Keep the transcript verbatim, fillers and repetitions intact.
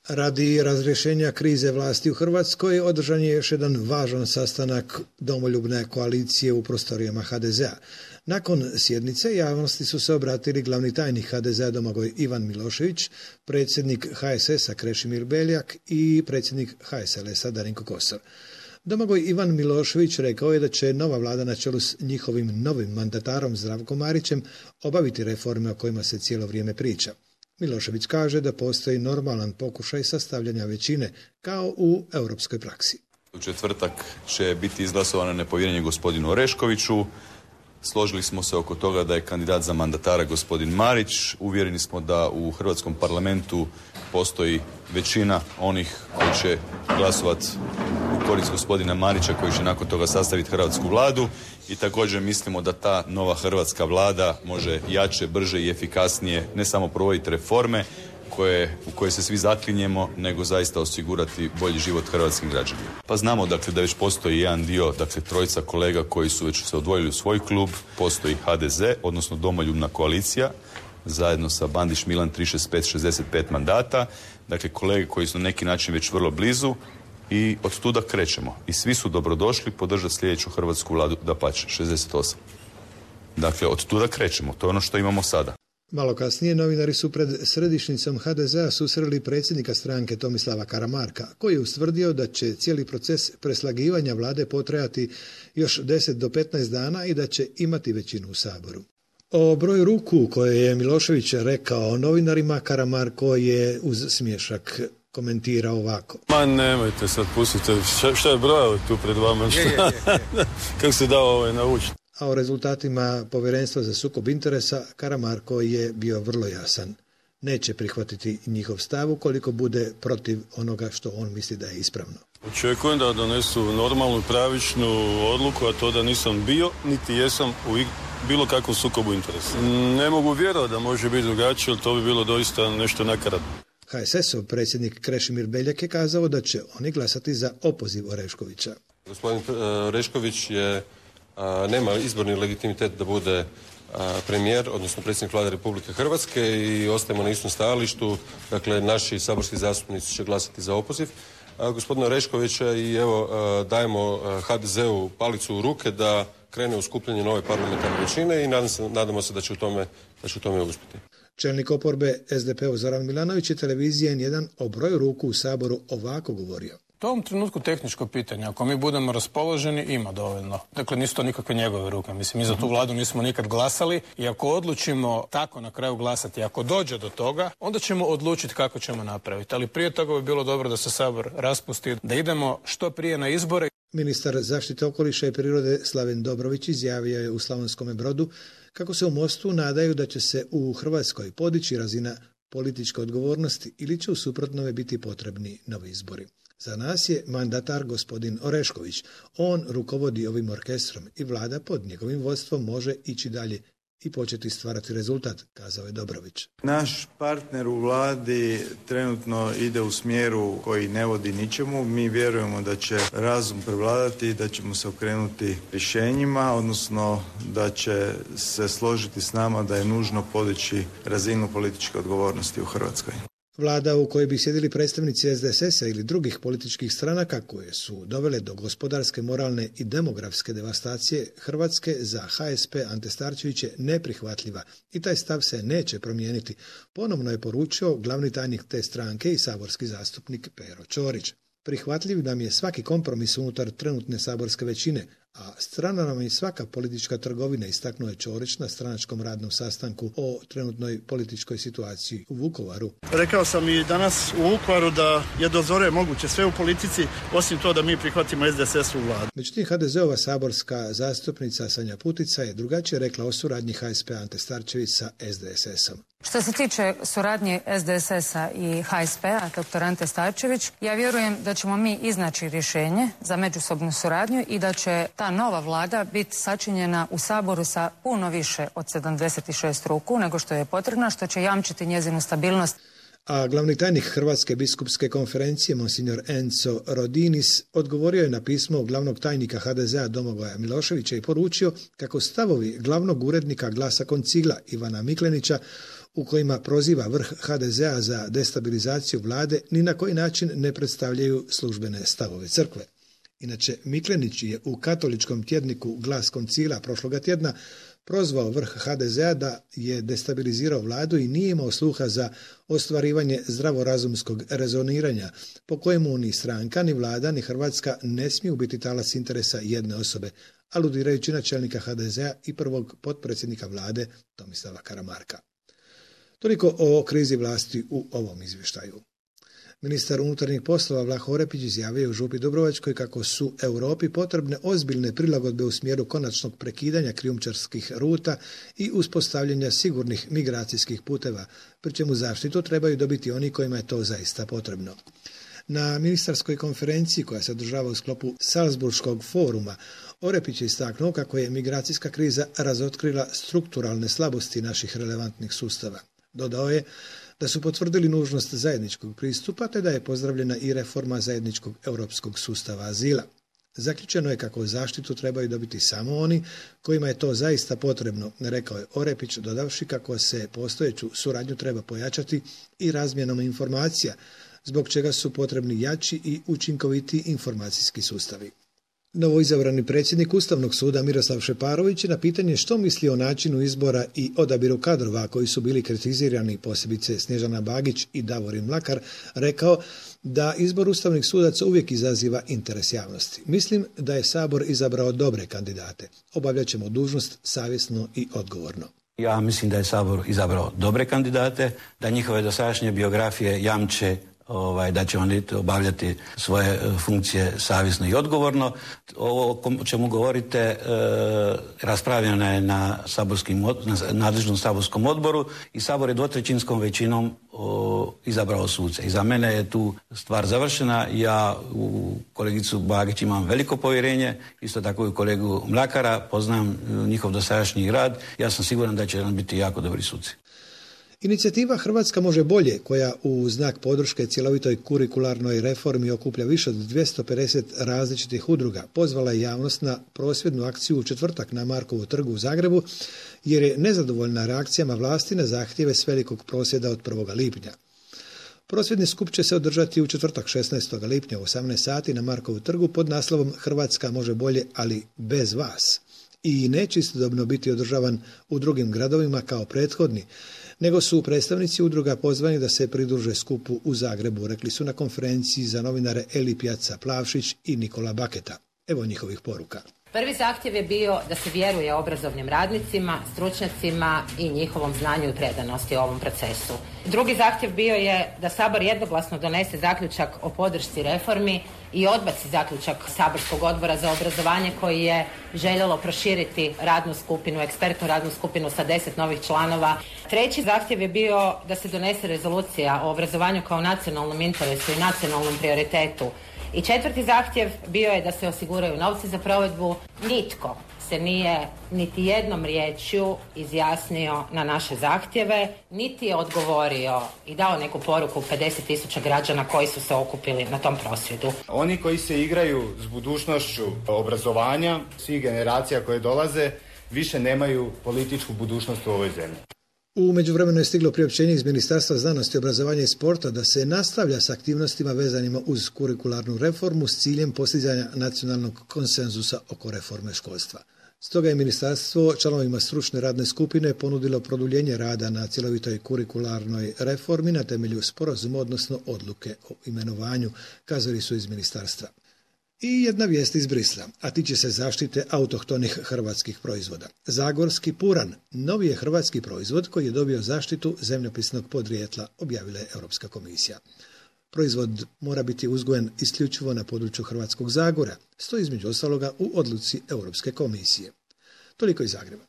Radi razrješenja krize vlasti u Hrvatskoj održan je još jedan važan sastanak Domoljubne koalicije u prostorijama ha de zea. Nakon sjednice javnosti su se obratili glavni tajnik ha de zea Domagoj Ivan Milošević, predsjednik ha es esa Krešimir Beljak i predsjednik ha es el esa Darinko Kosor. Domagoj Ivan Milošević rekao je da će nova vlada na čelu s njihovim novim mandatarom Zdravkom Marićem obaviti reforme o kojima se cijelo vrijeme priča. Milošević kaže da postoji normalan pokušaj sastavljanja većine, kao u europskoj praksi. U četvrtak će biti izglasovano nepovjerenje gospodinu Oreškoviću. Složili smo se oko toga da je kandidat za mandatara gospodin Marić. Uvjereni smo da u Hrvatskom parlamentu postoji većina onih koji će glasovati u korist gospodina Marića, koji će nakon toga sastaviti hrvatsku vladu. I također mislimo da ta nova hrvatska vlada može jače, brže i efikasnije ne samo provoditi reforme koje, u koje se svi zaklinjemo, nego zaista osigurati bolji život hrvatskim građanima. Pa znamo dakle da već postoji jedan dio, dakle trojica kolega koji su već se odvojili u svoj klub, postoji ha de ze, odnosno Domoljubna koalicija, zajedno sa Bandić Milan tri šezdeset pet šezdeset pet mandata, dakle kolege koji su na neki način već vrlo blizu i od tuda krećemo. I svi su dobrodošli podržati sljedeću hrvatsku vladu, dapače, šezdeset osam. Dakle, od tuda krećemo, to je ono što imamo sada. Malo kasnije novinari su pred središnjicom ha de zea susreli predsjednika stranke Tomislava Karamarka, koji je ustvrdio da će cijeli proces preslagivanja vlade potrajati još deset do petnaest dana i da će imati većinu u Saboru. O broju ruku koje je Milošević rekao novinarima, Karamarko je uz smiješak komentirao ovako. Ma nemojte sad pustite, šta, šta je brojao tu pred vama? Šta? Je, je, je. Kako se dao ovaj naučiti? A o rezultatima Povjerenstva za sukob interesa Karamarko je bio vrlo jasan. Neće prihvatiti njihov stav ukoliko bude protiv onoga što on misli da je ispravno. Očekujem da donesu normalnu, pravičnu odluku, a to da nisam bio, niti jesam u bilo kakvom sukobu interesa. Ne mogu vjerovati da može biti drugačije, jer to bi bilo doista nešto nakaradno. ha es esov predsjednik Krešimir Beljak je kazao da će oni glasati za opoziv Oreškovića. Gospodin Orešković je, a, nema izborni legitimitet da bude a, premijer, odnosno predsjednik vlade Republike Hrvatske i ostajemo na istom stajalištu. Dakle, naši saborski zastupnici će glasati za opoziv a, gospodina Oreškovića i evo a, dajemo ha de zeu palicu u ruke da krene u skupljanje nove parlamentarne većine i nadam se, nadamo se da će u tome, da će u tome uspjeti. Čelnik oporbe es de pe-u Zoran Milanović je televizija en jedan o broju ruku u Saboru ovako govorio. To je u ovom trenutku tehničko pitanje. Ako mi budemo raspoloženi, ima dovoljno. Dakle, nisu to nikakve njegove ruke. Mislim, mi za tu vladu nismo nikad glasali i ako odlučimo tako na kraju glasati, ako dođe do toga, onda ćemo odlučiti kako ćemo napraviti. Ali prije toga bi bilo dobro da se Sabor raspusti, da idemo što prije na izbore. Ministar zaštite okoliša i prirode Slaven Dobrović izjavio je u Slavonskome Brodu kako se u Mostu nadaju da će se u Hrvatskoj podići razina političke odgovornosti ili će u suprotnome biti potrebni novi izbori. Za nas je mandatar gospodin Orešković. On rukovodi ovim orkestrom i vlada pod njegovim vodstvom može ići dalje i početi stvarati rezultat, kazao je Dobrović. Naš partner u vladi trenutno ide u smjeru koji ne vodi ničemu. Mi vjerujemo da će razum prevladati, da ćemo se okrenuti rješenjima, odnosno da će se složiti s nama da je nužno podići razinu političke odgovornosti u Hrvatskoj. Vlada u kojoj bi sjedili predstavnici es de es esa ili drugih političkih stranaka koje su dovele do gospodarske, moralne i demografske devastacije Hrvatske za ha es pe Ante Starčević je neprihvatljiva i taj stav se neće promijeniti, ponovno je poručio glavni tajnik te stranke i saborski zastupnik Pero Ćorić. Prihvatljiv nam je svaki kompromis unutar trenutne saborske većine, a strana nam je svaka politička trgovina, istaknuo je Ćorić na stranačkom radnom sastanku o trenutnoj političkoj situaciji u Vukovaru. Rekao sam i danas u Vukovaru da je do zore moguće sve u politici, osim to da mi prihvatimo es de es es u vladu. Međutim, ha de zeova saborska zastupnica Sanja Putica je drugačije rekla o suradnji ha es pe Ante Starčević sa es de es esom. Što se tiče suradnje es de es esa i ha es pe-a, doktor Ante Starčević, ja vjerujem da ćemo mi iznaći rješenje za međusobnu suradnju i da će ta nova vlada biti sačinjena u Saboru sa puno više od sedamdeset šest ruku nego što je potrebno, što će jamčiti njezinu stabilnost. A glavni tajnik Hrvatske biskupske konferencije, monsignor Enzo Rodinis, odgovorio je na pismo glavnog tajnika ha de zea Domagoja Miloševića i poručio kako stavovi glavnog urednika Glasa Koncila Ivana Miklenića u kojima proziva vrh ha de zea za destabilizaciju vlade, ni na koji način ne predstavljaju službene stavove crkve. Inače, Miklenić je u katoličkom tjedniku Glas koncila prošloga tjedna prozvao vrh ha de zea da je destabilizirao vladu i nije imao sluha za ostvarivanje zdravorazumskog rezoniranja, po kojemu ni stranka, ni vlada, ni Hrvatska ne smiju biti talac interesa jedne osobe, aludirajući na čelnika ha de zea i prvog potpredsjednika vlade Tomislava Karamarka. Toliko o krizi vlasti u ovom izvještaju. Ministar unutarnjih poslova Vlaho Orepić izjavio u Župi Dubrovačkoj kako su Europi potrebne ozbiljne prilagodbe u smjeru konačnog prekidanja krijumčarskih ruta i uspostavljanja sigurnih migracijskih puteva, pri čemu zaštitu trebaju dobiti oni kojima je to zaista potrebno. Na ministarskoj konferenciji koja se održava u sklopu Salzburškog foruma, Orepić je istaknuo kako je migracijska kriza razotkrila strukturalne slabosti naših relevantnih sustava. Dodao je da su potvrdili nužnost zajedničkog pristupa, te da je pozdravljena i reforma zajedničkog europskog sustava azila. Zaključeno je kako zaštitu trebaju dobiti samo oni kojima je to zaista potrebno, rekao je Orepić, dodavši kako se postojeću suradnju treba pojačati i razmjenom informacija, zbog čega su potrebni jači i učinkoviti informacijski sustavi. Novoizabrani predsjednik Ustavnog suda Miroslav Šeparović na pitanje što misli o načinu izbora i odabiru kadrova koji su bili kritizirani, posebice Snježana Bagić i Davorin Mlakar, rekao da izbor ustavnih sudaca uvijek izaziva interes javnosti. Mislim da je Sabor izabrao dobre kandidate. Obavljat ćemo dužnost savjesno i odgovorno. Ja mislim da je Sabor izabrao dobre kandidate, da njihove dosadašnje biografije jamče Ovaj, da će oni obavljati svoje funkcije savjesno i odgovorno. Ovo o čemu govorite e, raspravljeno je na, saborskim, na nadležnom saborskom odboru i Sabor je dvotrećinskom većinom o, izabrao suce. I za mene je tu stvar završena. Ja u kolegicu Bagić imam veliko povjerenje, isto tako i u kolegu Mlakara, poznam njihov dosadašnji rad. Ja sam siguran da će nam biti jako dobri suci. Inicijativa Hrvatska može bolje, koja u znak podrške cjelovitoj kurikularnoj reformi okuplja više od dvjesto pedeset različitih udruga, pozvala je javnost na prosvjednu akciju u četvrtak na Markovu trgu u Zagrebu, jer je nezadovoljna reakcijama vlasti na zahtjeve s velikog prosvjeda od prvog lipnja. Prosvjedni skup će se održati u četvrtak šesnaestog lipnja u osamnaest sati na Markovu trgu pod naslovom Hrvatska može bolje, ali bez vas. I neće istodobno biti održavan u drugim gradovima kao prethodni, nego su predstavnici udruga pozvani da se pridruže skupu u Zagrebu, rekli su na konferenciji za novinare Eli Pjaca Plavšić i Nikola Baketa. Evo njihovih poruka. Prvi zahtjev je bio da se vjeruje obrazovnim radnicima, stručnjacima i njihovom znanju i predanosti u ovom procesu. Drugi zahtjev bio je da Sabor jednoglasno donese zaključak o podršci reformi i odbaci zaključak Saborskog odbora za obrazovanje koji je željelo proširiti radnu skupinu, ekspertnu radnu skupinu sa deset novih članova. Treći zahtjev je bio da se donese rezolucija o obrazovanju kao nacionalnom interesu i nacionalnom prioritetu. I četvrti zahtjev bio je da se osiguraju novci za provedbu. Nitko se nije niti jednom riječju izjasnio na naše zahtjeve, niti je odgovorio i dao neku poruku pedeset tisuća građana koji su se okupili na tom prosvjedu. Oni koji se igraju s budućnošću obrazovanja, svih generacija koje dolaze, više nemaju političku budućnost u ovoj zemlji. U međuvremenu je stiglo priopćenje iz Ministarstva znanosti, obrazovanja i sporta da se nastavlja s aktivnostima vezanima uz kurikularnu reformu s ciljem postizanja nacionalnog konsenzusa oko reforme školstva. Stoga je ministarstvo članovima stručne radne skupine ponudilo produljenje rada na cjelovitoj kurikularnoj reformi na temelju sporazuma, odnosno odluke o imenovanju, kazali su iz ministarstva. I jedna vijest iz Brisla, a tiče se zaštite autohtonih hrvatskih proizvoda. Zagorski puran, novi je hrvatski proizvod koji je dobio zaštitu zemljopisnog podrijetla, objavila je Europska komisija. Proizvod mora biti uzgojen isključivo na području Hrvatskog Zagora, stoji između ostaloga u odluci Europske komisije. Toliko iz Zagreba.